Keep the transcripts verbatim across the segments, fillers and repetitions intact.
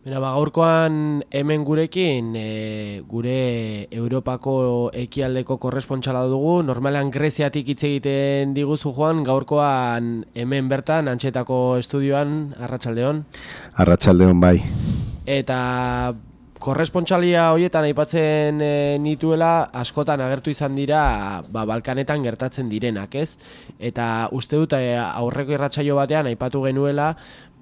Mira, ba, gaurkoan hemen gurekin e, gure Europako ekialdeko korrespontxala dugu. Normalean Greziatik hitz egiten diguzu, Juan, gaurkoan hemen bertan, Antxetako estudioan, arratsaldeon. Arratsaldeon bai. Eta korrespontxalia horietan aipatzen e, nituela, askotan agertu izan dira ba, Balkanetan gertatzen direnak, ez? Eta uste dut e, aurreko irratsaio batean aipatu genuela,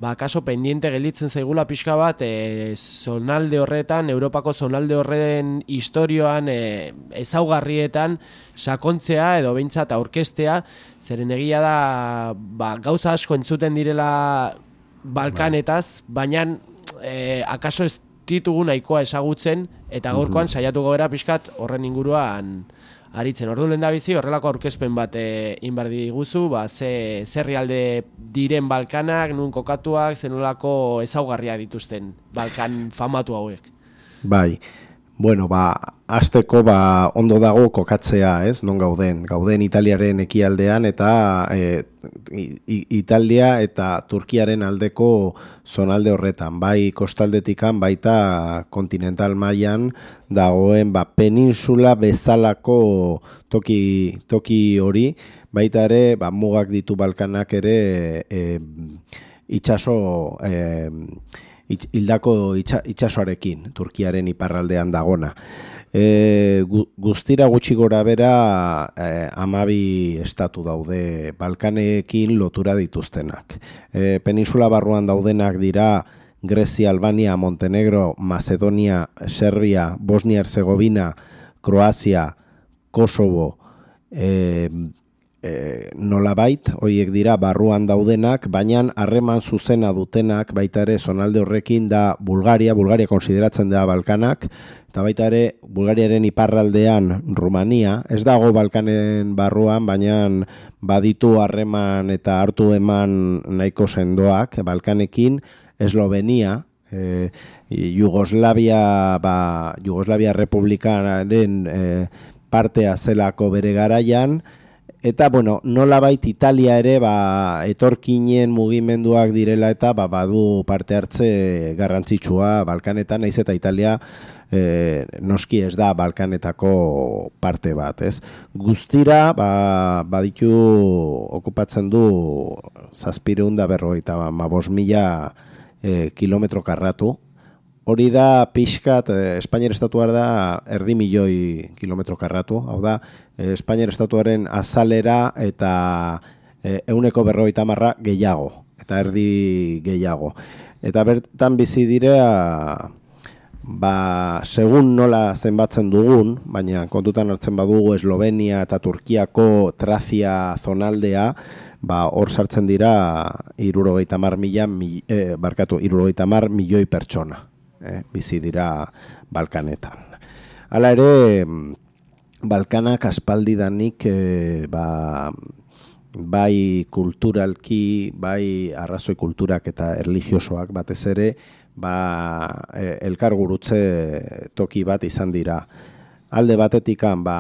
ba, kaso pendiente gelditzen zaigula pixka bat e, zonalde horretan, Europako zonalde horren historioan, e, ezaugarrietan sakontzea edo behintzat aurkeztea, zeren egia da ba, gauza asko entzuten direla Balkanetaz, baina e, akaso ez ditugu nahikoa ezagutzen, eta gaurkoan saiatuko gara pixkat horren inguruan aritzen. Ordu lehen da bizi, horrelako aurkezpen bat e, inbardi diguzu, ba, ze zerrialde diren Balkanak, nun kokatuak, zenolako ezaugarria dituzten Balkan famatu hauek. Bai, bueno, ba, hasteko ba, ondo dago kokatzea, ez, non gauden. Gauden Italiaren ekialdean eta e, Italia eta Turkiaren aldeko zonalde horretan, bai kostaldetikan, baita kontinental mailan dagoen ba, peninsula bezalako toki, toki hori, baita ere ba, mugak ditu Balkanak ere e, itxaso e, hildako itxa, itxasoarekin, Turkiaren iparraldean dagona. E, gu, guztira gutxi gora bera e, amabi estatu daude Balkanekin lotura dituztenak. E, peninsula barruan daudenak dira Grezia, Albania, Montenegro, Macedonia, Serbia, Bosnia-Herzegovina, Kroazia, Kosovo, e, e, nolabait, horiek dira barruan daudenak, baina harreman zuzena dutenak baita ere zonalde horrekin da Bulgaria, Bulgaria konsideratzen da Balkanak, eta baita ere Bulgariaren iparraldean Rumania, ez dago Balkanen barruan, baina baditu harreman eta hartu eman nahiko sendoak Balkanekin, Eslovenia, e, Jugoslavia, ba, Jugoslavia Republikaren e, partea zelako bere garaian, eta, bueno, nolabait Italia ere ba, etorkinen mugimenduak direla eta ba, badu parte hartze garrantzitsua Balkanetan, naiz eta Italia e, noski ez da Balkanetako parte bat, ez? Guztira, ba, baditu okupatzen du zazpireun da berrogeita ba, bost mila e, kilometro karratu. Hori da pixkat, eh, Espainiar estatuar da erdi milioi kilometro karratu, hau da, eh, Espainiar estatuaren azalera eta eh, euneko berrogeita marra gehiago, eta erdi gehiago. Eta bertan bizi direa, ba, segun nola zenbatzen dugun, baina kontutan hartzen badugu Eslovenia eta Turkiako Trazia zonaldea, ba, hor sartzen dira hirurogeita hamar mila, eh, barkatu, hirurogeita hamar milioi pertsona. Eh, bizi dira Balkanetan. Hala ere, Balkanak aspaldidanik eh, ba, bai kulturalki, bai arrazoi kulturak eta erlijiosoak batez ere, ba, eh, elkargurutze toki bat izan dira. Alde batetikan, ba,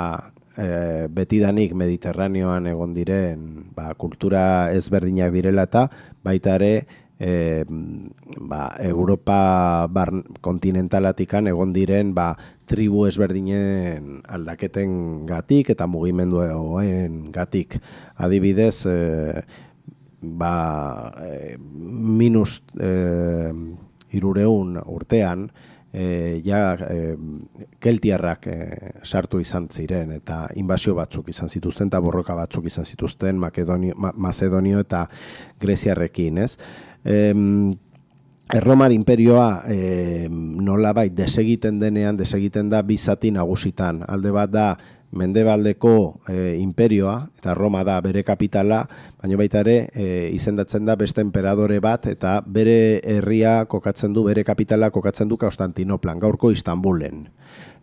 eh, betidanik Mediterraneoan egon diren ba, kultura ezberdinak direla eta baita ere E, ba, Europa bar, kontinentalatikan egon diren ba, tribu ezberdinen aldaketen gatik eta mugimenduen gatik. Adibidez, e, ba, e, minus e, irureun urtean, e, ja e, keltiarrak e, sartu izan ziren eta inbasio batzuk izan zituzten eta borroka batzuk izan zituzten Makedonio, Ma, Macedonio eta Greziarrekin, ez? Erromar imperioa e, nolabait desegiten denean, desegiten da bi zati nagusitan. Alde bat da mendebaldeko e, imperioa, eta Roma da bere kapitala, baina baita ere e, izendatzen da beste enperadore bat, eta bere herria kokatzen du, bere kapitala kokatzen du Konstantinoplan, gaurko Istanbulen.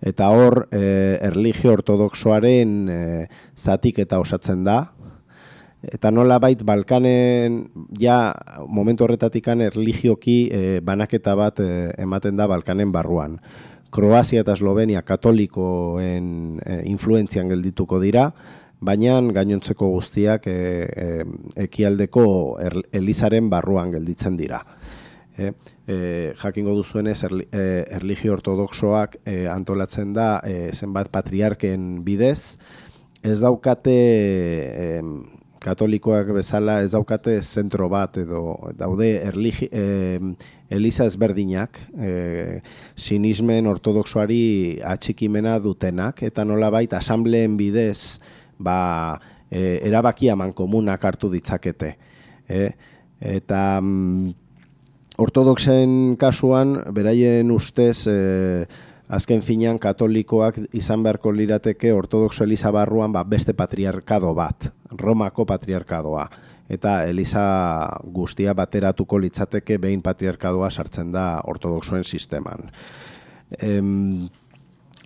Eta hor, e, erlijio ortodoxoaren e, zatik eta osatzen da, eta nolabait Balkanen ja momentu horretatikan erlijioki e, banaketa bat e, ematen da Balkanen barruan. Kroazia eta Eslovenia katolikoen e, influentzian geldituko dira, baina gainontzeko guztiak e, e, ekialdeko er, elizaren barruan gelditzen dira. E, e, jakingo duzuenez erli, e, erlijio ortodoxoak e, antolatzen da e, zenbat patriarken bidez, ez daukate e, katolikoak bezala ez daukate zentro bat edo daude erligi, e, eliza ezberdinak, e, sinismen ortodoxoari atxikimena dutenak, eta nolabait asambleen bidez ba, e, erabakia mankomunak hartu ditzakete. E, eta mm, ortodoxen kasuan, beraien ustez, e, azken finean katolikoak izan beharko lirateke ortodoxo eliza barruan ba, beste patriarkado bat, Romako patriarkadoa. Eta eliza guztia bateratuko litzateke behin patriarkadoa sartzen da ortodoxoen sisteman. Em,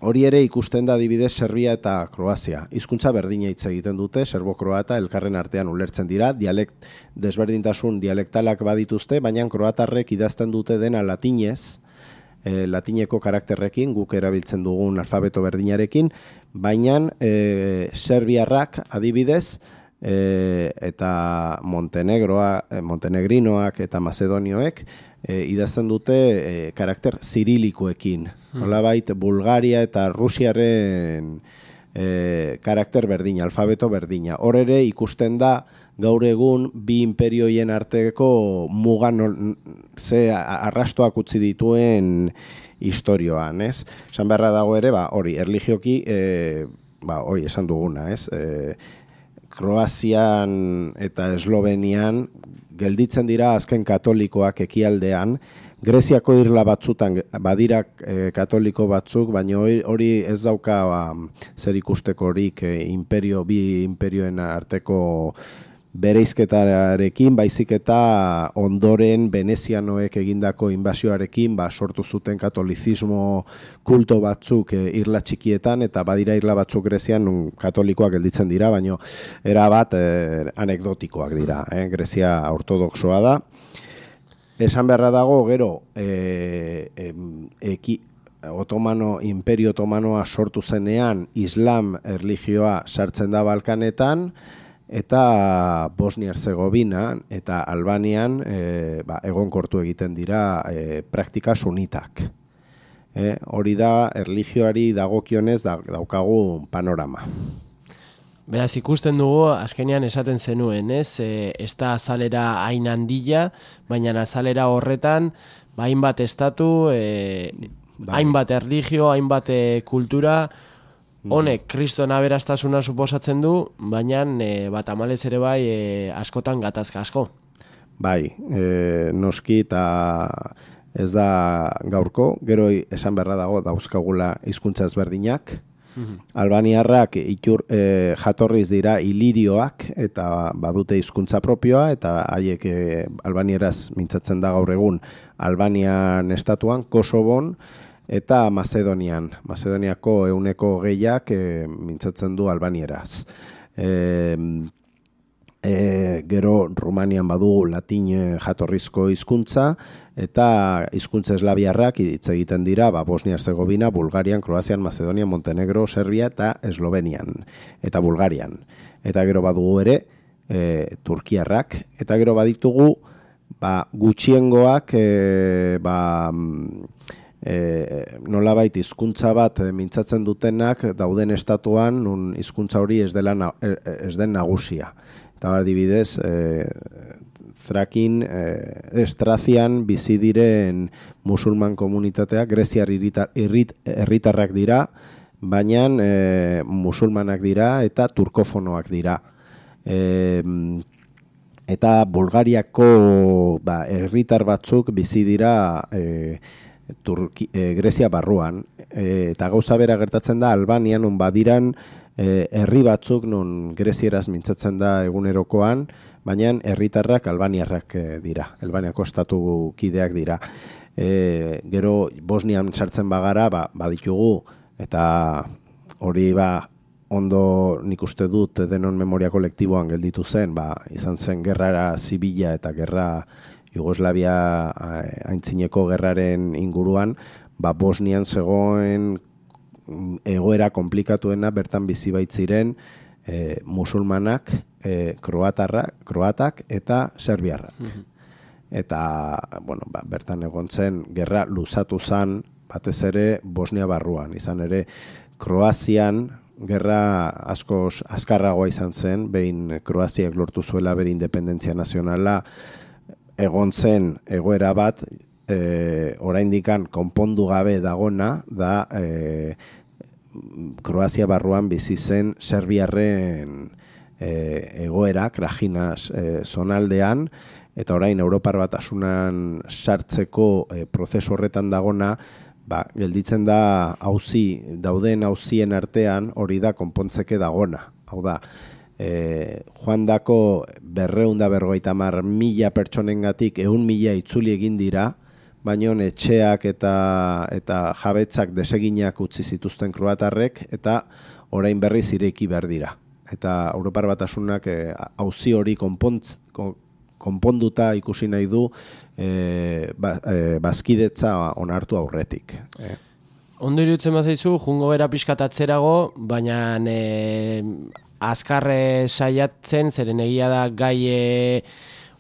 hori ere ikusten da adibidez Serbia eta Kroazia. Hizkuntza berdina hitz egiten dute, serbo-kroata elkarren artean ulertzen dira, dialekt, desberdintasun dialektalak badituzte, baina kroatarrek idazten dute dena latinez, e, latineko karakterrekin, guk erabiltzen dugun alfabeto berdinarekin, baina e, serbiarrak adibidez, E, eta Montenegroa, Montenegrinoak eta Macedonioek e, idazten dute e, karakter zirilikoekin. Hmm. Nolabait Bulgaria eta Rusiaren e, karakter berdina, alfabeto berdina. Hor ere ikusten da gaur egun bi imperioien arteko mugan ze arrastoak utzi dituen historioan, ez? Esan beharra dago ere, ba, hori, erlijioki, e, ba, hori, esan duguna, ez? E, Kroazian eta Eslovenian gelditzen dira azken katolikoak ekialdean, Greziako irla batzutan badira e, katoliko batzuk, baina hori ez dauka ba, zer ikusteko-horik e, imperio, bi imperioen arteko bereizketarekin, baizik eta ondoren venezianoek egindako inbasioarekin ba, sortu zuten katolizismo kulto batzuk e, irla txikietan, eta badira irla batzuk Grezian nun katolikoak gelditzen dira, baina erabat e, anekdotikoak dira. Eh? Grezia ortodoxoa da. Esan beharra dago, gero, e, e, eki, Otomano, Imperio Otomanoa sortu zenean, Islam erlijioa sartzen da Balkanetan, eta Bosnia-Herzegovina eta Albanian e, ba, egonkortu egiten dira e, praktika sunitak. E, hori da, erlijioari dagokionez da, daukagu panorama. Beraz, ikusten dugu, azkenean esaten zenuen, ez? E, ez da azalera hain handia, baina azalera horretan, ba, hainbat estatu, e, bai. hainbat erlijio, hainbat e, kultura, honek kriston aberastasuna suposatzen du, baina e, bat amalez ere bai e, askotan gatazka asko. Bai, e, noski eta ez da gaurko, gero esan beharra dago dauzkagula hizkuntza ezberdinak. Albaniarrak itur, e, jatorriz dira ilirioak eta badute hizkuntza propioa, eta haiek e, albanieraz mintzatzen da gaur egun Albanian estatuan, Kosovon, eta Macedonian, Macedoniako euneko gehiak e, mintzatzen du albanieraz. E, e, gero Rumanian badugu latin jatorrizko hizkuntza, eta hizkuntza eslaviarrak hitz egiten dira ba, Bosnia-Herzegovina, Bulgarian, Kroazian, Macedonian, Montenegro, Serbia eta Eslovenian, eta Bulgarian. Eta gero badugu ere e, Turkiarrak, eta gero baditugu ba, gutxiengoak e, ba, E, nolabait hizkuntza bat mintzatzen dutenak dauden estatuan nun hizkuntza hori ez dela na, ez den nagusia. Eta adibidez, e, Thrakin, e, Estrazian bizi diren musulman komunitateak greziar herritarrak dira, baina e, musulmanak dira eta turkofonoak dira. E, eta Bulgariako ba, herritar batzuk bizi dira e, Turki, e, Grezia barruan, e, eta gauza bera gertatzen da Albanian nun badiran e, herri batzuk nun grezieraz mintzatzen da egunerokoan, baina herritarrak albaniarrak e, dira, Albaniako estatu kideak dira. E, gero Bosnian sartzen bagara, ba, baditugu, eta hori ba ondo nik uste dut denon memoria kolektiboan gelditu zen, ba, izan zen gerrara zibila eta gerra Jugoslavia aintzineko gerraren inguruan, ba Bosnian zegoen egoera komplikatuena bertan bizi baitziren e, musulmanak, e, kroatarrak, kroatak eta serbiarrak. Mm-hmm. eta bueno, ba, bertan egon zen, gerra luzatu zen, batez ere Bosnia barruan, izan ere Kroazian gerra asko azkarragoa izan zen, behin Kroaziak lortu zuela bere independentzia nazionala, egon zen egoera bat, e, oraindikan konpondu gabe dagona, da e, Kroazia barruan bizi zen serbiarren e, egoera, Krajinas e, zonaldean, eta orain Europar Batasunan sartzeko e, prozesu horretan dagona, ba, gelditzen da auzi, dauden auzien artean hori da konpontzeke dagona. Hau da, e, joan dako berreunda berrogeita hamar mila pertsonengatik ehun mila itzuli egin dira, baino etxeak eta eta jabetzak deseginak utzi zituzten kroatarrek, eta orain berriz ireki behar dira. Eta Europar Batasunak e, auzi hori konpontz, konponduta ikusi nahi du e, ba, e, bazkidetza onartu aurretik. E. Ondo iruditzen bazaizu, jungo bera pixkatatzerago, baina e, azkarre saiatzen, zeren egia da gai e,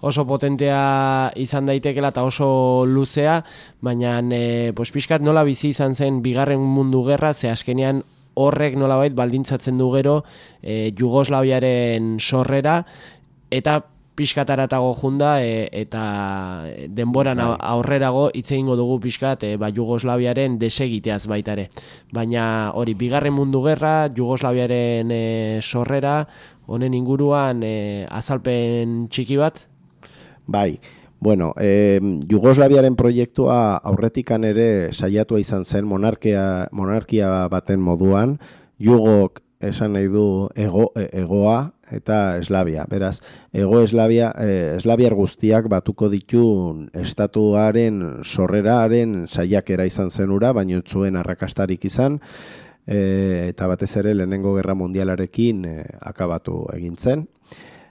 oso potentea izan daitekela eta oso luzea, baina e, pues, pixkat nola bizi izan zen bigarren mundu gerra, ze askenean horrek nolabait baldintzatzen du gero e, Jugoslaviaren sorrera, eta pixkataratago junda e, eta denboran aurrerago hitz egingo dugu pixkat e, ba, Jugoslaviaren desegiteaz baita ere. Baina hori, bigarren mundu gerra, Jugoslaviaren e, sorrera, honen inguruan e, azalpen txiki bat? Bai, bueno, e, Jugoslaviaren proiektua aurretikan ere saiatua izan zen monarkia, monarkia baten moduan, Jugok esan nahi du ego, egoa, eta Eslavia. Beraz, ego Eslavia, eh, Eslaviar guztiak batuko ditun estatuaren sorreraren saiakera izan zenura, baino zuen arrakastarik izan, eh, eta batez ere lehenengo gerra mundialarekin eh, akabatu egin zen.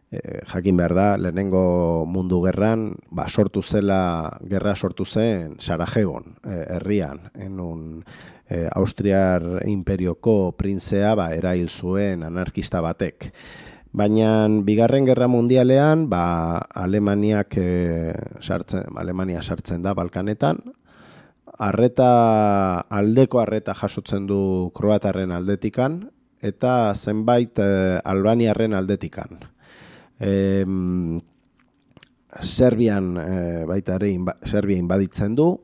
Eh, jakin behar da, lehenengo mundu gerran, ba, sortu zela, gerra sortu zen Sarajegon, eh, herrian, enun eh, Austriar imperioko printzea ba, erail zuen anarkista batek. Baina bigarren gerra mundialean, ba, Alemaniak e, sartzen, Alemania sartzen da Balkanetan, arreta, aldeko arreta jasotzen du kroatarren aldetikan, eta zenbait e, albaniarren aldetikan. E, Serbian e, baita ere inba, Serbia inbaditzen du,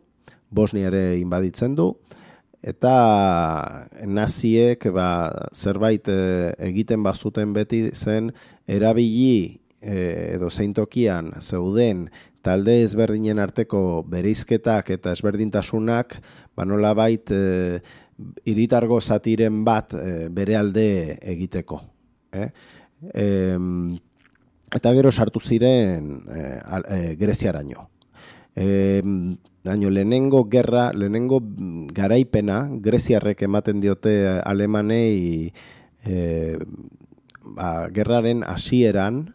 Bosnia ere inbaditzen du, eta naziek ba, zerbait e, egiten bazuten beti zen erabili e, edo zeintokian zeuden talde ezberdinen arteko bereizketak eta ezberdintasunak ba, nolabait e, hiritargo zatiren bat e, bere alde egiteko. Eh? E, eta gero sartu ziren e, e, Greziaraino. E, daño, lehenengo gerra, lehenengo garaipena, greziarrek ematen diote Alemanei e, ba, gerraren hasieran,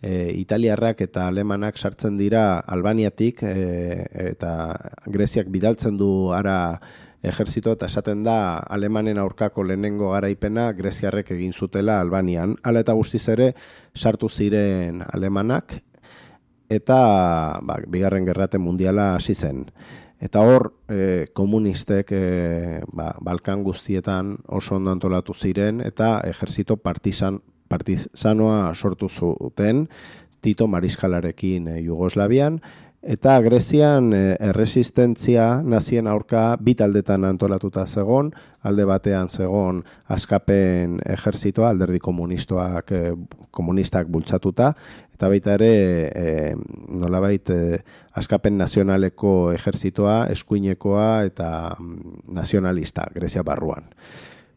e, italiarrak eta alemanak sartzen dira Albaniatik, e, eta Greziak bidaltzen du ara ejerzito, eta esaten da Alemanen aurkako lehenengo garaipena greziarrek egin zutela Albanian. Hala eta guztiz ere sartu ziren alemanak, eta ba, bigarren gerrate mundiala hasi zen. Eta hor, e, komunistek e, ba, Balkan guztietan oso ondo antolatu ziren, eta ejerzito partizan, partizanoa sortu zuten Tito Mariskalarekin e, Jugoslavian, eta Grezian e, erresistentzia nazien aurka bi taldetan antolatuta zegon, alde batean zegon askapen ejerzitoa, alderdi komunistoak, e, komunistak bultzatuta, eta baita ere e, nolabait e, askapen nazionaleko ejerzitoa, eskuinekoa eta nazionalista, Grezia barruan.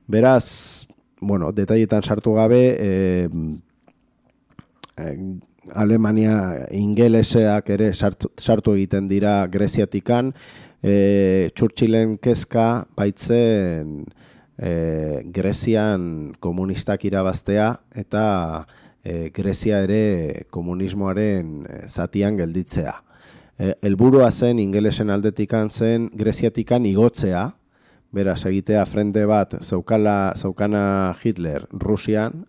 Beraz, bueno, detailetan sartu gabe, e, e, Alemania ingeleseak ere sartu, sartu egiten dira Greziatikan, e, Churchillen kezka baitzen e, Grezian komunistak irabaztea eta e, Grezia ere komunismoaren zatian gelditzea. E, helburua zen ingelesen aldetikan zen Greziatikan igotzea, beraz egitea frente bat zeukala, zeukana Hitler Rusian,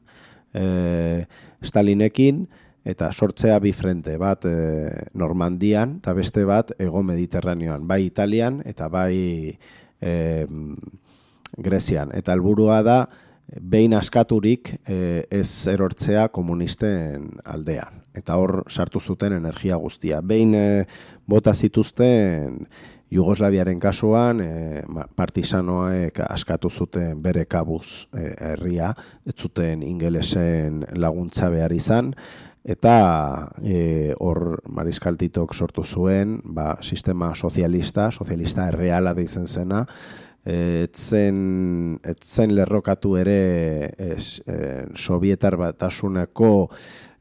e, Stalinekin, eta sortzea bi frente, bat e, Normandian eta beste bat Hego Mediterraneoan, bai Italian eta bai e, Grezian. Eta helburua da, behin askaturik e, ez erortzea komunisten aldean. Eta hor sartu zuten energia guztia. Behin e, bota zituzten Jugoslaviaren kasuan, e, partisanoek askatu zuten bere kabuz e, herria, ez zuten ingelesen laguntza behar izan, eta e, hor Mariskal Titok sortu zuen ba, sistema sozialista, sozialista erreala deitzen zena, etzen, etzen lerrokatu ere es, e, Sovietar Batasuneko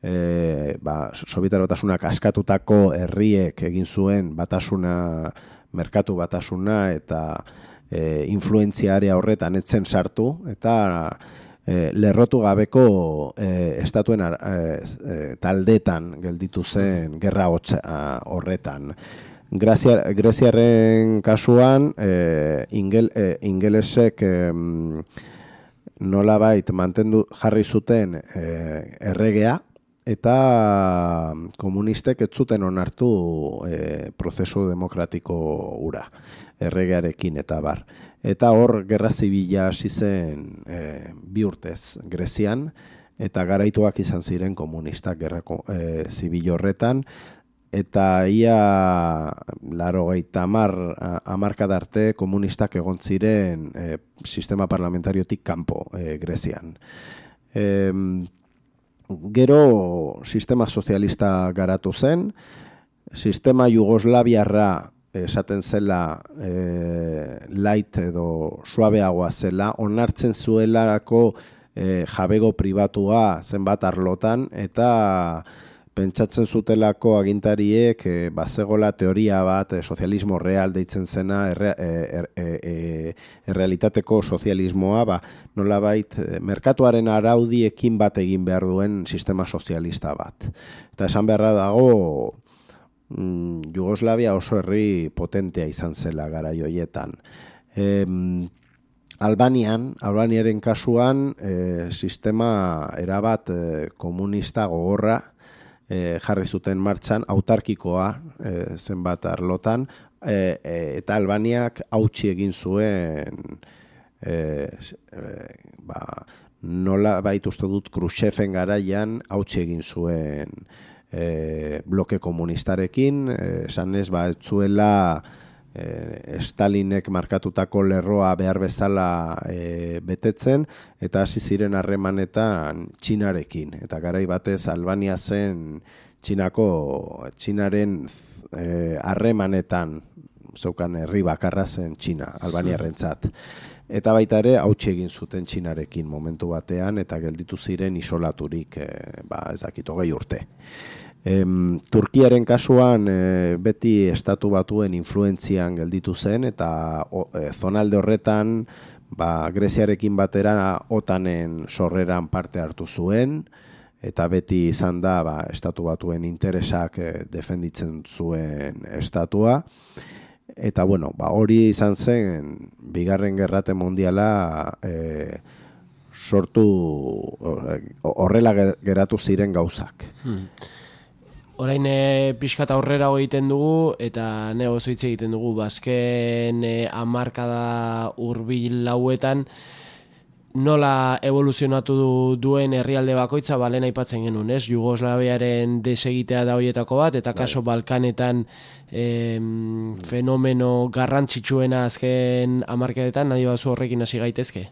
e, ba, Sovietar Batasunak askatutako herriek egin zuen batasuna, merkatu batasuna eta e, influentzia area horretan etzen sartu, eta e, lerrotu gabeko e, estatuen ar, e, e, taldetan gelditu zen gerra hotza horretan. Grazia, Greziarren kasuan e, ingel, e, ingelesek e, nolabait mantendu jarri zuten e, erregea, eta komunistek ez zuten onartu e, prozesu demokratiko ura, erregearekin eta bar. Eta hor gerra zibila hasi zen e, bi urtez Grezian, eta garaituak izan ziren komunistak gerra e, zibil horretan, eta ia laurogeita hamar hamarkada arte komunistak egon ziren e, sistema parlamentariotik kanpo e, Grezian. E, Gero sistema sozialista garatu zen, sistema jugoslaviarra esaten zela e, light edo suabeagoa zela, onartzen zuelarako e, jabego pribatua zenbat arlotan, eta pentsatzen zutelako agintariek e, bazegola teoria bat, e, sozialismo real deitzen zena, erre, e, e, e, errealitateko sozialismoa, ba, nolabait merkatuaren araudiekin bat egin behar duen sistema sozialista bat. Eta esan beharra dago, mm, Jugoslavia oso herri potentea izan zela garai hoietan. E, Albanian, Albaniaren kasuan, e, sistema erabat e, komunista gogorra, E, jarri zuten martxan, autarkikoa e, zenbat arlotan, e, e, eta Albaniak hautsi egin zuen e, e, ba, nola bait uste dut Khrushcheven garaian hautsi egin zuen e, bloke komunistarekin, esan ez ba, etzuela E, Stalinek markatutako lerroa behar bezala e, betetzen, eta hasi ziren harremanetan Txinarekin, eta garai batez Albania zen Txinako Txinaren harremanetan e, zeukan herri bakarra zen Txina, Albaniarrentzat. Eta baita ere hautsi egin zuten Txinarekin momentu batean, eta gelditu ziren isolaturik e, ba, ez dakit hogei urte. Em, Turkiaren kasuan e, beti estatu batuen influentzian gelditu zen, eta o, e, zonalde horretan ba, Greziarekin batera otanen sorreran parte hartu zuen, eta beti izan da ba, estatu batuen interesak e, defenditzen zuen estatua. Eta bueno, ba, hori izan zen bigarren gerrate mundiala e, sortu horrela geratu ziren gauzak. Hmm. Orain e, pixkata aurrera egiten dugu, eta nego hitz egiten dugu, bazken e, hamarkada hurbil lauetan, nola evoluzionatu du, duen herrialde bakoitza, balen aipatzen genuen, ez? Jugoslaviaren desegitea da hoietako bat, eta kaso Balkanetan e, fenomeno garrantzitsuena azken hamarkadetan, nahi bazu horrekin hasi gaitezke?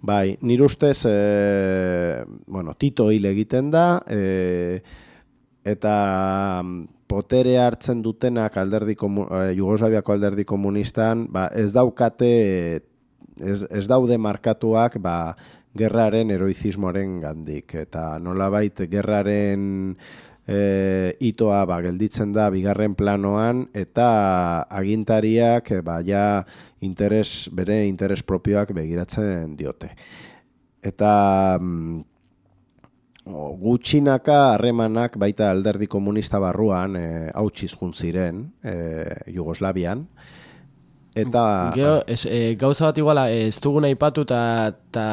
Bai, nire ustez, e, bueno, Tito hil egiten da, e, eta potere hartzen dutenak alderdi komu, eh, Jugoslaviako alderdi komunistan, ba, ez daukate, ez, ez daude markatuak ba, gerraren heroizismoaren gandik. Eta nolabait gerraren e, itoa ba, gelditzen da bigarren planoan, eta agintariak ba, ja interes, bere interes propioak begiratzen diote. Eta gutxinaka harremanak baita alderdi komunista barruan e, hautsiz jun ziren e, Jugoslavian, eta... Geo, ez, e, gauza bat iguala, ez dugun aipatu eta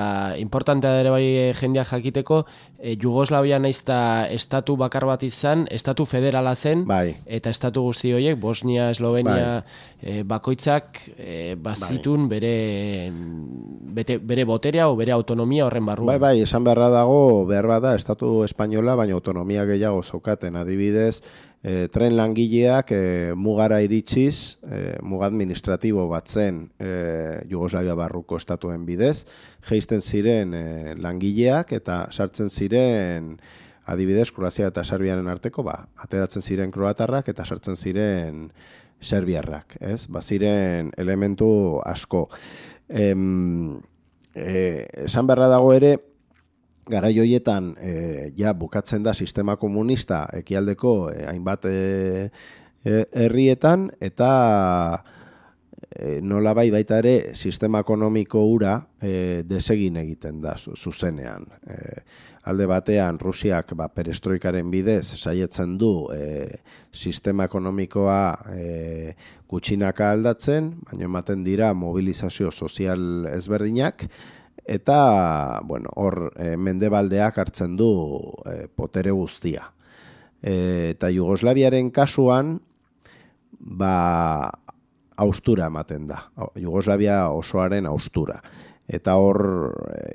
importantea ere bai jendeak jakiteko, e, Jugoslavia naiz eta estatu bakar bat izan, estatu federala zen, bai. eta estatu guzti horiek, Bosnia, Eslovenia, bai. e, bakoitzak e, bazitun bai. bere, bete, bere boterea o bere autonomia horren barruan. Bai, bai, esan beharra dago, behar bada, estatu espainola, baina autonomia gehiago zaukaten, adibidez, E, tren langileak e, mugara iritsiz, e, muga administratibo bat zen e, Jugoslavia barruko estatuen bidez, jeisten ziren e, langileak eta sartzen ziren, adibidez, Kroazia eta Serbiaren arteko, ba, ateratzen ziren kroatarrak eta sartzen ziren serbiarrak, ez? Ba, ziren elementu asko. Em, e, esan beharra dago ere, garai hoietan e, ja bukatzen da sistema komunista ekialdeko e, hainbat e, e, herrietan eta e, nolabai baita ere sistema ekonomiko hura e, desegin egiten da zuzenean. E, alde batean Rusiak ba, perestroikaren bidez saietzen du e, sistema ekonomikoa e, gutxinaka aldatzen, baina ematen dira mobilizazio sozial ezberdinak, eta, bueno, hor e, mendebaldeak hartzen du e, potere guztia. E, eta Jugoslaviaren kasuan, ba, haustura ematen da. Jugoslavia osoaren haustura. Eta hor,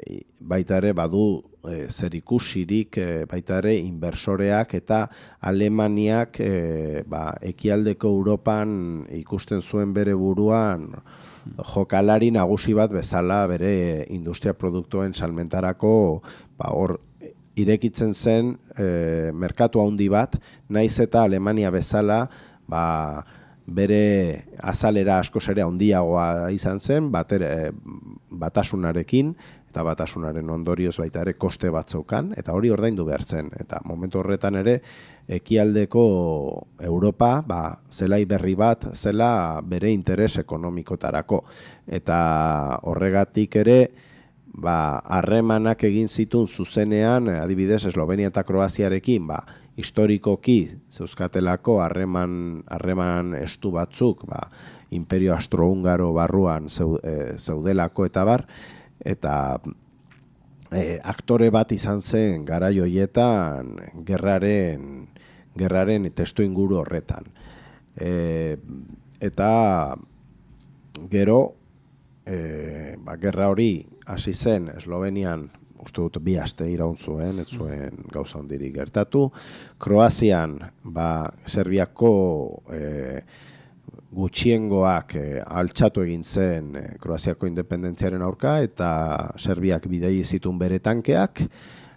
e, baita ere, badu e, zerikusirik, e, baita ere, inbersoreak eta Alemaniak e, ba, ekialdeko Europan ikusten zuen bere buruan jokalari nagusi bat bezala bere industria produktuen salmentarako ba, hor irekitzen zen e, merkatu handi bat, naiz eta Alemania bezala ba, bere azalera askoz ere handiagoa izan zen, batere, batasunarekin, eta batasunaren ondorioz baita ere koste bat zeukan, eta hori ordaindu behar zen. Eta momentu horretan ere, ekialdeko Europa, ba, zelai berri bat, zela bere interes ekonomikotarako. Eta horregatik ere, ba, harremanak egin zitun zuzenean, adibidez, Eslovenia eta Kroaziarekin, ba, historikoki zeuzkatelako harreman harreman estu batzuk, ba, Imperio Austrohungaro barruan zeudelako eta bar, eta e, aktore bat izan zen garai hoietan gerraren gerraren testu inguru horretan. E, eta gero e, ba, gerra hori hasi zen Eslovenian, uste dut bi aste iraun zuen, ez zuen gauza hondirik gertatu. Kroazian, ba, Serbiako e, gutxiengoak e, altxatu egin zen e, Kroaziako independentziaren aurka, eta Serbiak bidei zitun bere tankeak,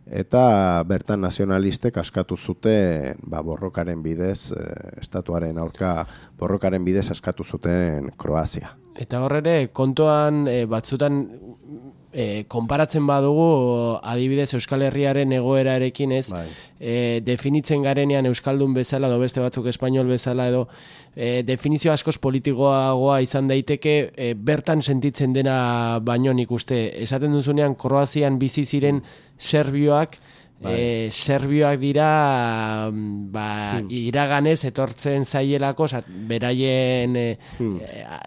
eta bertan nazionalistek askatu zuten ba, borrokaren bidez, e, estatuaren aurka borrokaren bidez askatu zuten Kroazia. Eta horre, kontuan e, batzutan E, konparatzen badugu adibidez Euskal Herriaren egoerarekin, ez, bai. e, definitzen garenean euskaldun bezala edo beste batzuk espainol bezala edo e, definizio askoz politikoagoa izan daiteke e, bertan sentitzen dena baino nik uste. Esaten duzunean Kroazian bizi ziren serbioak, bai. e, serbioak dira ba, hmm. iraganez etortzen zaielako, beraien e, hmm.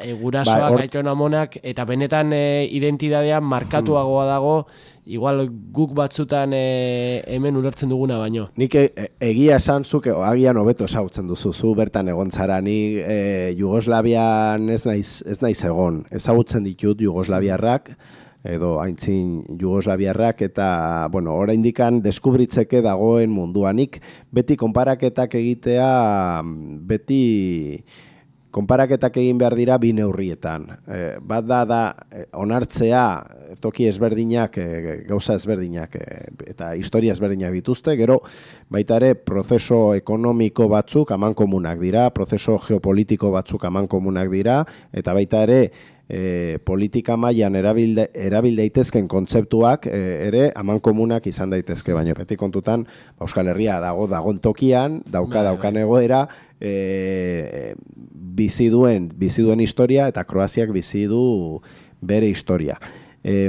e, gurasoak, bai, or... aiton amonak, eta benetan e, identitatea markatuagoa dago, igual guk batzutan e, hemen ulertzen duguna baino. Nik e, egia esan zuk agian hobeto ezagutzen duzu, zu bertan egon zara, ni e, Jugoslavian ez naiz, ez naiz egon, ezagutzen ditut Jugoslaviarrak, edo aintzin Jugoslaviarrak, eta, bueno, oraindikan deskubritzeke dagoen munduanik, beti konparaketak egitea, beti konparaketak egin behar dira bi neurrietan. E, bat da, da onartzea toki ezberdinak, e, gauza ezberdinak, e, eta historia ezberdinak dituzte, gero baita ere prozeso ekonomiko batzuk amankomunak dira, prozeso geopolitiko batzuk amankomunak dira, eta baita ere E, politika mailan erabil, erabil daitezken kontzeptuak e, ere amankomunak izan daitezke, baina beti kontutan Euskal Herria dago dagon tokian, dauka bai, daukan egoera, e, bizi duen, bizi duen historia, eta Kroaziak bizi du bere historia. E,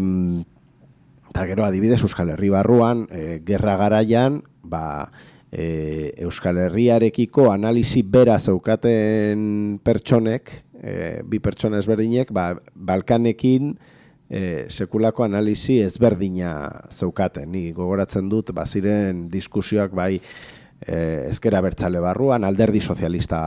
eta gero adibidez Euskal Herri barruan, e, gerra garaian, ba, e, Euskal Herriarekiko analisi bera zeukaten pertsonek, e, bi pertsona ezberdinek, ba, Balkanekin e, sekulako analisi ezberdina zeukaten. Ni gogoratzen dut, baziren diskusioak bai e, ezker abertzale barruan, alderdi sozialista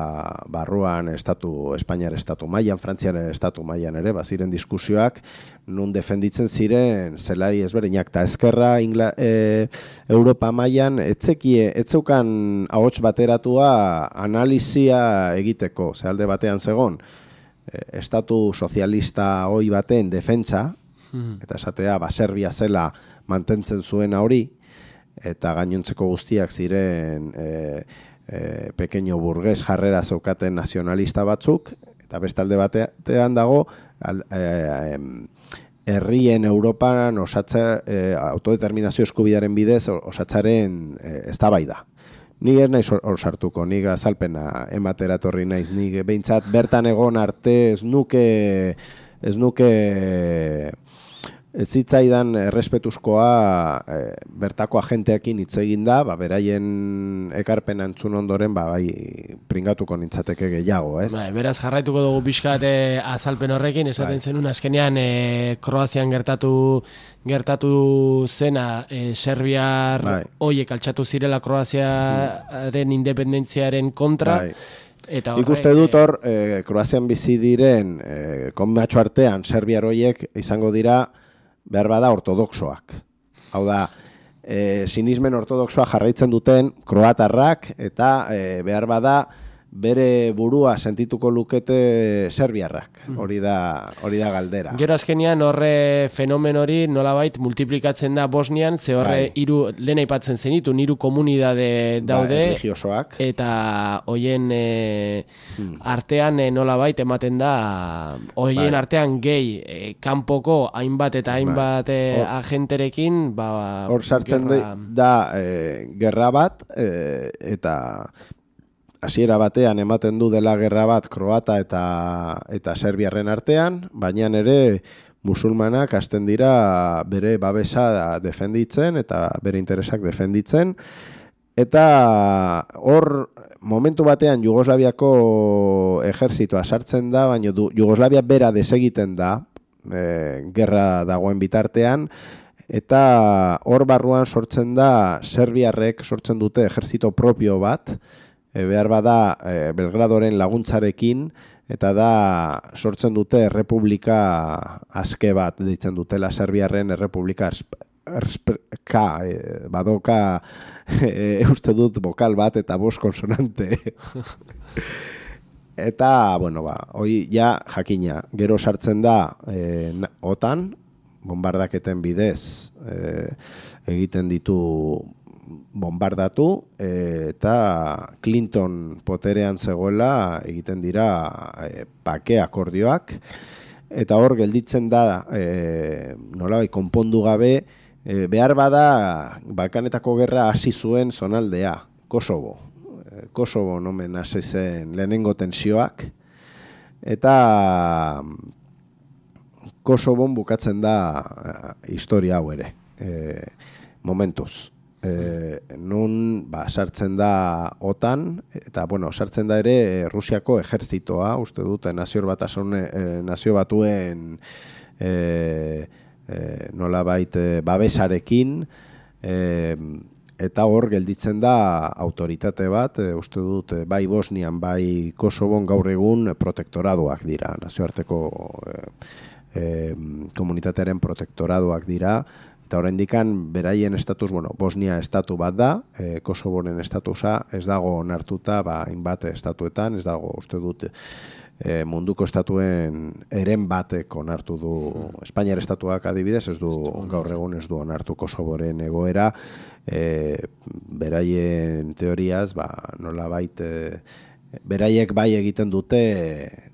barruan, estatu, Espainiar estatu mailan, Frantzian estatu mailan ere, baziren diskusioak nun defenditzen ziren zelai ezberdinak, eta ezkerra Ingla, e, Europa mailan etzekie, etzeukan ahots bateratua analizia egiteko, ze alde batean zegon, e, estatu sozialista hoi baten defentsa, hmm. eta esatea, ba, Serbia zela mantentzen zuena hori, eta gainontzeko guztiak ziren e, e, pequeño burgues jarrera zeukaten nazionalista batzuk, eta bestalde batean dago al, e, herrien Europan osatza, e, autodeterminazio eskubidearen bidez osatzaren e, eztabaida. Ni ez naiz hor sartuko, ni azalpena ematera etorri naiz, ni behintzat bertan egon arte ez nuke ez nuke Ez zitzaidan errespetuzkoa e, bertako agenteekin hitz egin da, ba, beraien ekarpen antzun ondoren ba, bai, pringatuko nintzateke gehiago, ez? Bai, beraz jarraituko dugu pixkat e, azalpen horrekin, esaten bai. Zenun azkenean e, Kroazian gertatu gertatu zena e, Serbiar bai. Hoiek altxatu zirela Kroaziaren mm. independentziaren kontra, bai. Eta horre, ikuste dut hor, e, Kroazian bizi diren e, konbatxo artean Serbiar hoiek izango dira behar bada ortodoxoak. Hau da, e, sinismen ortodoxoa jarraitzen duten kroatarrak eta e, behar bada bere burua sentituko lukete serbiarrak. Hori da, hori da galdera. Gero azkenean horre fenomen hori nolabait multiplikatzen da Bosnian, ze horre bai. Hiru lehen aipatzen zenitu, hiru komunidade daude bai, religiosoak. Eta hoien e, hmm. artean e, nolabait ematen da hoien bai. Artean gehi e, kanpoko hainbat eta hainbat bai. e, agenterekin ba, hor sartzen gerra... da e, gerra bat e, eta hasiera batean ematen du dela gerra bat kroata eta eta serbiarren artean, baina ere musulmanak hasten dira bere babesa defenditzen eta bere interesak defenditzen. Eta hor momentu batean Jugoslaviako ejertzitoa sartzen da, baina du, Jugoslavia bera desegiten da e, gerra dagoen bitartean, eta hor barruan sortzen da serbiarrek sortzen dute ejertzito propio bat, E, behar bada e, Belgradoren laguntzarekin, eta da sortzen dute errepublika aske bat, deitzen dutela Serbiarren errepublika erspeka, e, badoka e, uste dut bokal bat eta bost konsonante. Eta, bueno, ba, hori ja jakina, gero sartzen da e, otan, bombardaketen bidez e, egiten ditu bombardatu e, eta Clinton poterean zegoela egiten dira e, bake akordioak eta hor gelditzen da e, nolabait konpondu gabe e, behar bada Balkanetako gerra hasi zuen zonaldea, Kosovo. E, Kosovo nomen hasi zen lehenengo tensioak eta Kosovon bukatzen da e, historia hau ere, e, momentuz. E, nun ba, sartzen da otan eta bueno, sartzen da ere Rusiako ejertzitoa, uste dute nazio batasune, e, nazio batuen e, e, nolabait e, babesarekin e, eta hor gelditzen da autoritate bat, e, uste dut bai Bosnian bai Kosovon gaur egun protektoradoak dira, nazioarteko e, e, komunitatearen protektoradoak dira. Eta oraindikan beraien estatus, bueno, Bosnia estatu bat da, e, Kosovoren estatusa ez dago onartuta, ba, hainbat estatuetan, ez dago uste dut e, munduko estatuen eren batek onartu du, Espainiar estatuak adibidez, ez du gaur egun ez du onartu Kosovoren egoera, e, beraien teoriaz, ba, nolabait, e, beraiek bai egiten dute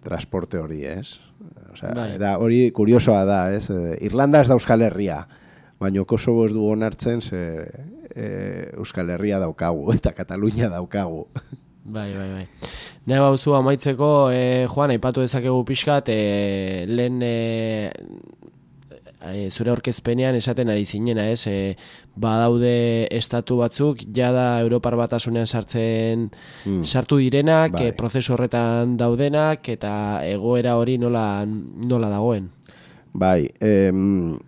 transporte hori, ez? Osea, bai. Eta hori kuriosoa da, ez? Irlanda ez da Euskal Herria, baina Kosovo ez du onartzen ze e, Euskal Herria daukagu eta Katalunia daukagu. Bai, bai, bai. Nahi bauzu amaitzeko, e, Juan, aipatu dezakegu pixkat, e, lehen e, e, zure aurkezpenean esaten ari zinena, ez? E, badaude estatu batzuk, jada Europar Batasunean sartzen hmm. sartu direnak, bai. e, prozesu horretan daudenak, eta egoera hori nola, nola dagoen. Bai, em,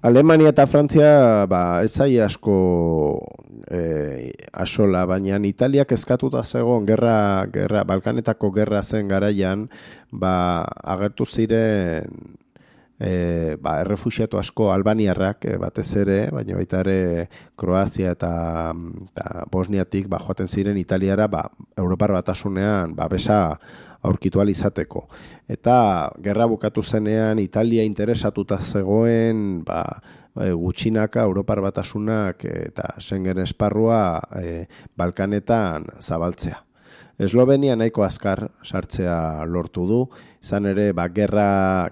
Alemania eta Frantzia ba, ez zai asko e, asola, baina Italiak eskatuta zegoen gerra, gerra, Balkanetako gerra zen garaian, ba, agertu ziren e, ba, errefuxiatu asko albaniarrak e, batez ere, baina baita ere Kroazia eta, eta Bosniatik ba, joaten ziren Italiara ba, Europar Batasunean ba, besa aurkitu ahal izateko. Eta gerra bukatu zenean Italia interesatuta zegoen ba, gutxinaka Europar Batasunak eta Schengen esparrua e, Balkanetan zabaltzea. Eslovenia nahiko azkar sartzea lortu du, izan ere ba, gerra,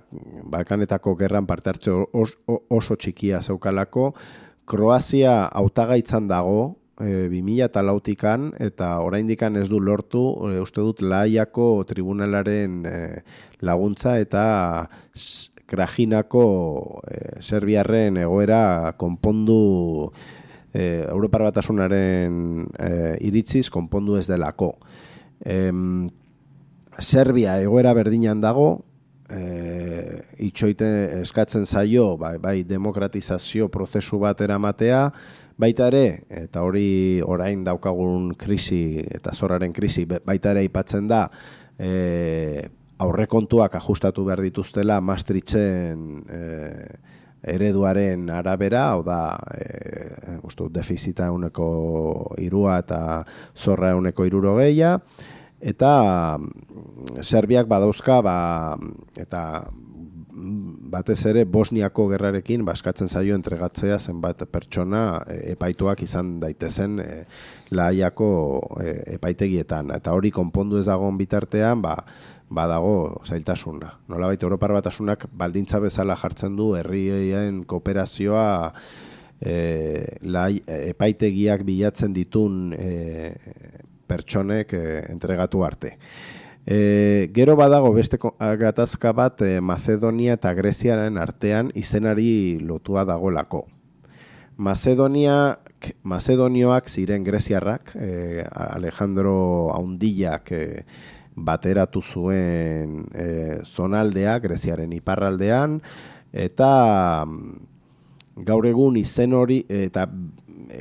Balkanetako gerran parte hartze oso, oso txikia zeukalako. Kroazia hautagaitzan dago, E, bi mila lautikan eta oraindikan ez du lortu, e, uste dut Lahaiako tribunalaren e, laguntza eta Krajinako e, Serbiarren egoera konpondu e, Europar Batasunaren e, iritziz konpondu ez delako. E, Serbia egoera berdinan dago, e, itxoite eskatzen zaio bai, bai demokratizazio prozesu bat eramatea, baita ere, eta hori orain daukagun krisi eta zorraren krisi, baita ere aipatzen da, e, aurrekontuak ajustatu behar dituztela Maastrichten e, ereduaren arabera, hau da, e, uste, defizita euneko irua eta zorra euneko irurogeia, eta Serbiak badauzka, ba, eta batez ere Bosniako gerrarekin baskatzen zaio entregatzea zenbat pertsona epaituak izan daitezen e, Lahaiako e, epaitegietan. Eta hori konpondu ez dagoen bitartean, ba, badago zailtasuna. Nolabait Europar Batasunak baldintza bezala jartzen du herrien kooperazioa e, Lahai, epaitegiak bilatzen ditun e, pertsonek e, entregatu arte. E, gero badago beste gatazka bat e, Macedonia eta Greziaren artean izenari lotua dagolako. Macedonia, Macedonioak ziren greziarrak, e, Alejandro Haundillak e, bateratu zuen e, zonaldea, Greziaren iparraldean, eta gaur egun izen hori, eta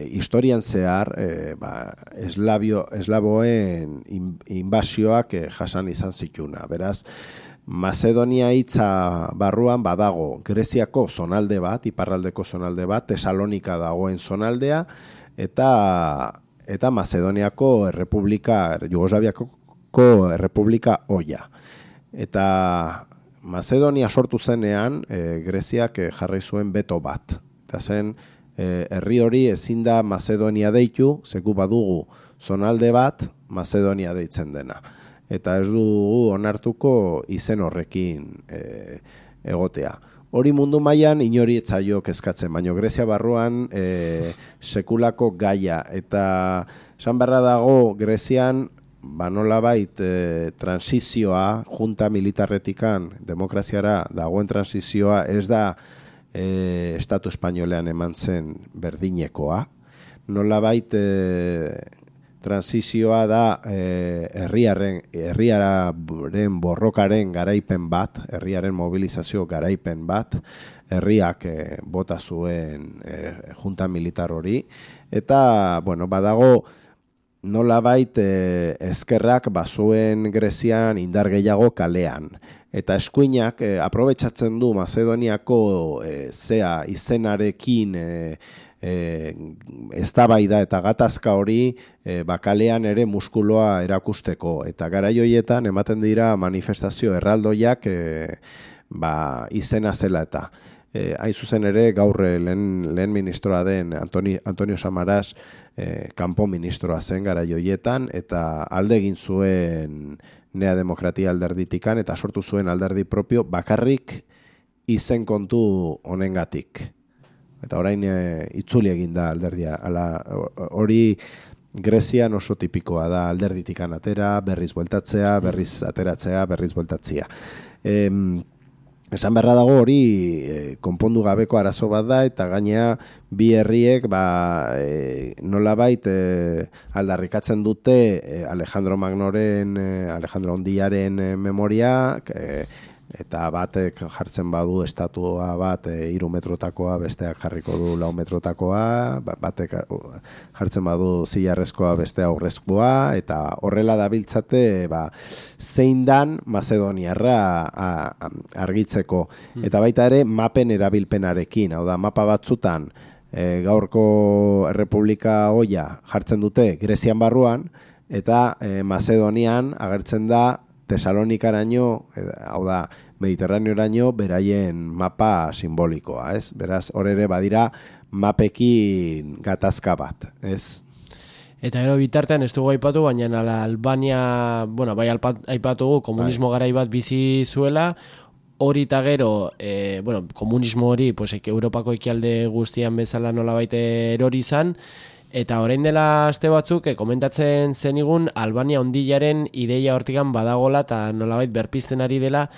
historian zehar e, ba, eslavio, eslaboen inbasioak e, jasan izan zituna. Beraz, Macedonia hitza barruan badago Greziako zonalde bat, iparraldeko zonalde bat, Tesalonika dagoen zonaldea, eta, eta Macedoniako errepublika, Jugoslaviako errepublika oia. Eta Macedonia sortu zenean, e, Greziak e, jarri zuen beto bat. Eta zen, herri hori ezin da Macedonia deitu, zeku badugu zonalde bat, Macedonia deitzen dena. Eta ez dugu onartuko izen horrekin e, egotea. Hori mundu mailan inori etzaio kezkatzen, baina Grezia barruan e, sekulako gaia. Eta esan beharra dago Grezian, ba nolabait e, transizioa, junta militarretikan demokraziara dagoen transizioa ez da E, Estatu Espainolean eman zen berdinekoa. Nolabait e, transizioa da e, herriaren, herriaren borrokaren garaipen bat, herriaren mobilizazio garaipen bat, herriak e, bota zuen e, junta militar hori, eta bueno, badago nolabait e, ezkerrak bazuen Grezian indar gehiago kalean. Eta eskuinak e, aprobetxatzen du Macedoniako e, zea izenarekin e, e, eztabaida eta gatazka hori e, bakalean ere muskuloa erakusteko. Eta garai horietan ematen dira manifestazio erraldoiak e, ba, izena zela eta. E, hain zuzen ere gaur lehen, lehen ministroa den Antoni, Antonio Samaras e, kanpo ministroa zen garai horietan eta alde egin zuen Nea Demokratia alderditikan eta sortu zuen alderdi propio bakarrik izen kontu honengatik. Eta orain e, itzuli egin da alderdia. Ala, hori Grezian oso tipikoa da alderditikan atera, berriz bueltatzea, berriz ateratzea, berriz bueltatzea. E, Esan beharra dago hori e, konpondu gabeko arazo bat da, eta gainea bi herriek ba, e, nolabait e, aldarrikatzen dute e, Alejandro Magnoren, e, Alejandro Ondillaren e, memoria, e, eta batek jartzen badu estatua bat e, hiru metrotakoa, besteak jarriko du lau metrotakoa, batek jartzen badu zilarrezkoa, bestea aurrezkoa, eta horrela dabiltzate ba, zein dan Mazedoniarra argitzeko. Eta baita ere mapen erabilpenarekin, hau da mapa batzutan e, gaurko Errepublika hoia jartzen dute Grezian barruan, eta e, Mazedonian agertzen da Tesalonikaraino, hau da, Mediterraneoraino beraien mapa simbolikoa, ez? Beraz, hor ere badira mapekin gatazka bat, ez? Eta gero bitartean ez dugu aipatu, baina ala Albania, bueno, bai aipatugu komunismo bai. Garai bat bizi zuela, hori eta gero, e, bueno, komunismo hori, pues, Europako ekialde guztian bezala nolabait erori izan, eta orain dela aste batzuk e, komentatzen zenigun Albania ondillaren ideia hortikan badagola eta nolabait berpizten ari dela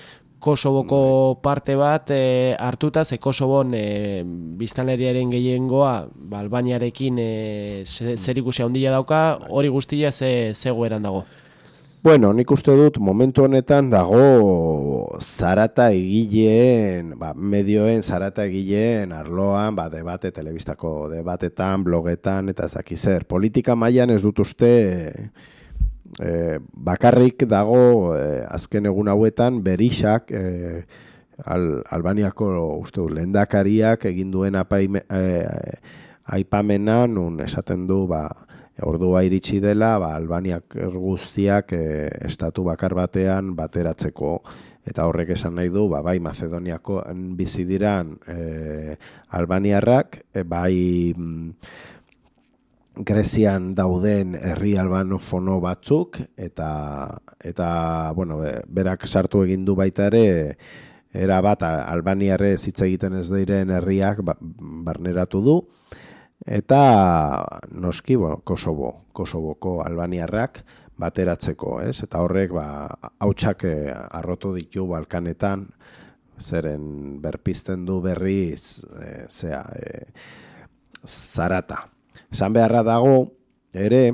Kosovoko parte bat e, hartuta, ze Kosovon e, biztanleriaren gehiengoa ba, Albaniarekin e, zer ikusia ondila dauka, hori guztia ze zegoeran dago. Bueno, nik uste dut momentu honetan dago zarata egileen, ba, medioen zarata egileen arloan, ba, debate, telebistako debatetan, blogetan, eta zaki zer. Politika mailan ez dut uste e, bakarrik dago e, azken egun hauetan berixak e, Al, Albaniako uste dut lehendakariak egin duen apaime, e, aipamena nun esaten du, ba, ordua iritsi dela, ba, Albaniak guztiak e, estatu bakar batean bateratzeko, eta horrek esan nahi du, ba, bai Mazedoniako bizi diran e, albaniarrak, e, bai mm, Grezian dauden herri albanofono batzuk, eta, eta bueno, berak sartu egin du baita ere, era bat albaniarre hitz egiten ez diren herriak ba, barneratu du, eta noski, bueno, Kosovo, Kosovoko albaniarrak bateratzeko, ez? Eta horrek ba hautsak arrotu ditu Balkanetan, zeren berpizten du berriz e, zea e, zarata. Esan beharra dago ere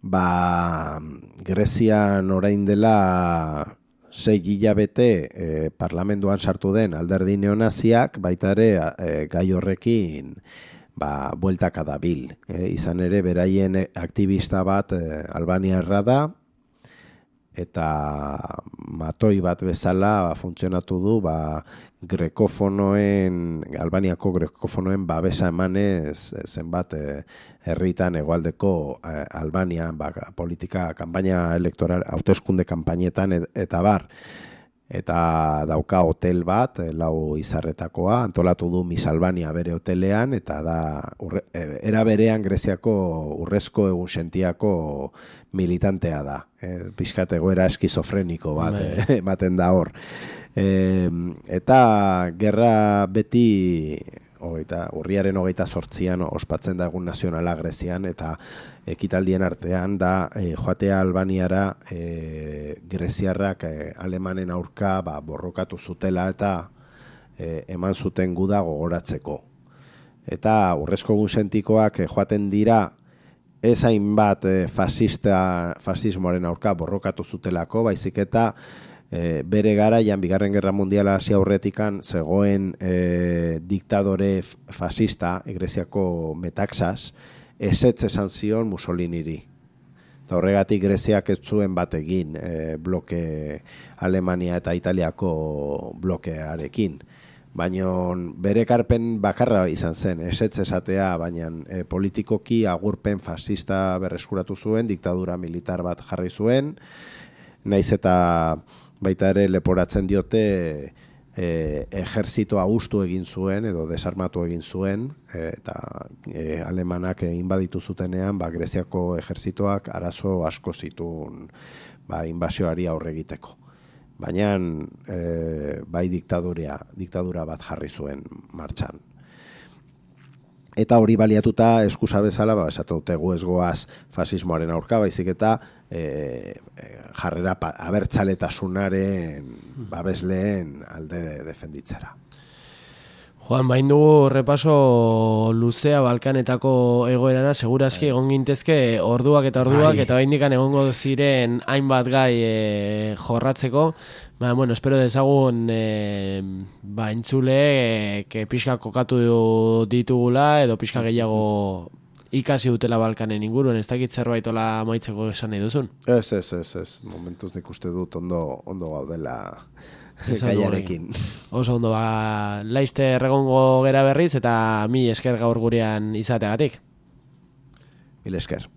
ba Grezian orain dela sei hilabete e, parlamentuan sartu den alderdi neonaziak baita ere e, gai horrekin ba, bueltaka dabil. E, izan ere beraien aktivista bat e, albaniarra da, eta matoi bat bezala ba, funtzionatu du ba, grekofonoen, Albaniako grekofonoen babesa emanez zenbat e, herritan hegoaldeko e, Albanian ba, politika, kanpaina elektoral, hauteskunde kanpainetan et, eta bar, eta dauka hotel bat, lau izarretakoa, antolatu du Miss Albania bere hotelean, eta da urre, era berean Greziako urrezko egunsentiako militantea da. E, pixkat egoera eskizofreniko bat ematen da hor. E, eta gerra beti hogeita, urriaren hogeita zortzian ospatzen da egun nazionala Grezian, eta ekitaldien artean da e, joatea Albaniara e, greziarrak e, alemanen aurka ba, borrokatu zutela eta e, eman zuten guda gogoratzeko. Eta urrezko egunsentikoak e, joaten dira ez hainbat e, fasista, fasismoaren aurka borrokatu zutelako, baizik eta E, bere garaian bigarren gerra mundiala hasi aurretikan zegoen e, diktadore fascista Greziako Metaxas ezetz esan zion Mussoliniri. Eta horregatik Greziak ez zuen bat egin e, bloke Alemania eta Italiako blokearekin. Baina bere ekarpen bakarra izan zen, ezetz esatea, baina e, politikoki agurpen fascista berreskuratu zuen, diktadura militar bat jarri zuen, naiz eta baita ere leporatzen diote e, ejerzitoa hustu egin zuen edo desarmatu egin zuen e, eta e, alemanak inbaditu zutenean ba, Greziako ejerzitoak arazo asko zituen ba, inbasioari aurre egiteko. Baina e, bai diktadura, diktadura bat jarri zuen martxan. Eta hori baliatuta eskusa bezala, ba, esatu dute gu ez goaz fasismoaren aurka, baizik eta e, jarrera pa, abertzaletasunaren babesleen alde de, defenditzera. Joan, bain dugu repaso luzea Balkanetako egoerana, segurazki egon gintezke orduak eta orduak, eta baindikan egongo ziren hainbat gai e, jorratzeko. Ba, bueno, espero dezagun e, ba, entzule e, pixka kokatu ditugula, edo pixka gehiago ikasi dutela Balkanen inguruen, ez dakit zerbait ola maitzeko esan nahi duzun? Ez, ez, ez, ez. Momentuz nik uste dut ondo, ondo gaudela gaiarekin. Oso ondo, ba, laizte erregongo gera berriz, eta mi esker gaur gurean izateagatik. Mil esker.